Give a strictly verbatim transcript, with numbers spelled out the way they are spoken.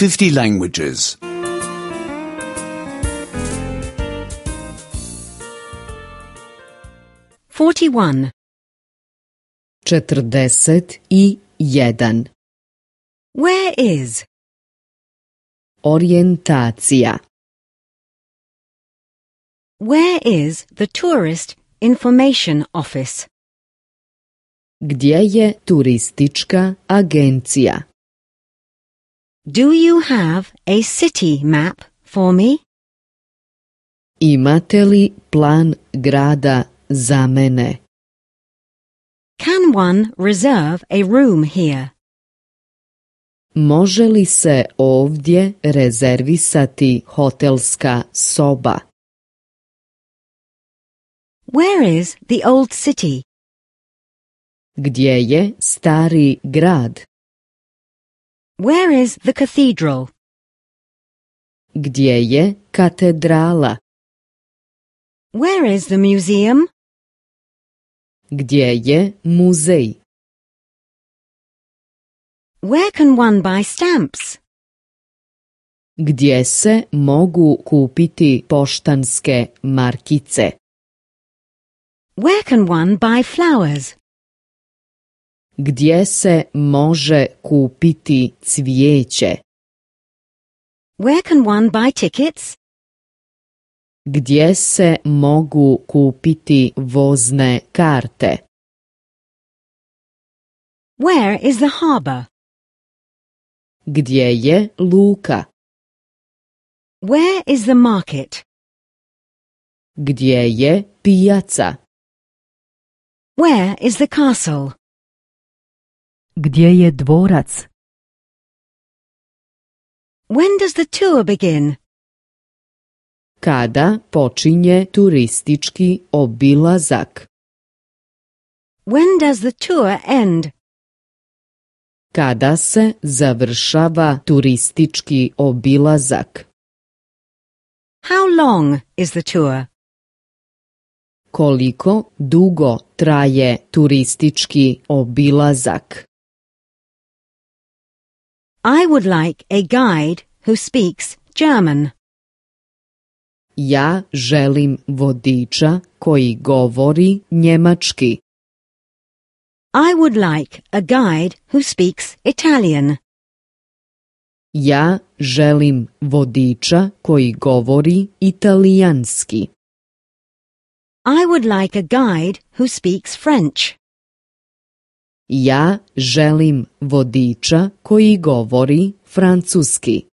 fifty languages. forty-one. četrdeset i jedan. Where is? Orijentacija. Where is the tourist information office? Gdje je turistička agencija? Do you have a city map for me? Imate li plan grada za mene? Can one reserve a room here? Može li se ovdje rezervisati hotelska soba? Where is the old city? Gdje je stari grad? Where is the cathedral? Gdje je katedrala? Where is the museum? Gdje je muzej? Where can one buy stamps? Gdje se mogu kupiti poštanske markice? Where can one buy flowers? Gdje se može kupiti cvijeće? Where can one buy tickets? Gdje se mogu kupiti vozne karte? Where is the harbor? Gdje je luka? Where is the market? Gdje je pijaca? Where is the castle? Gdje je dvorac? When does the tour begin? Kada počinje turistički obilazak? When does the tour end? Kada se završava turistički obilazak? How long is the tour? Koliko dugo traje turistički obilazak? I would like a guide who speaks German. Ja želim vodiča koji govori njemački. I would like a guide who speaks Italian. Ja želim vodiča koji govori italijanski. I would like a guide who speaks French. Ja želim vodiča koji govori francuski.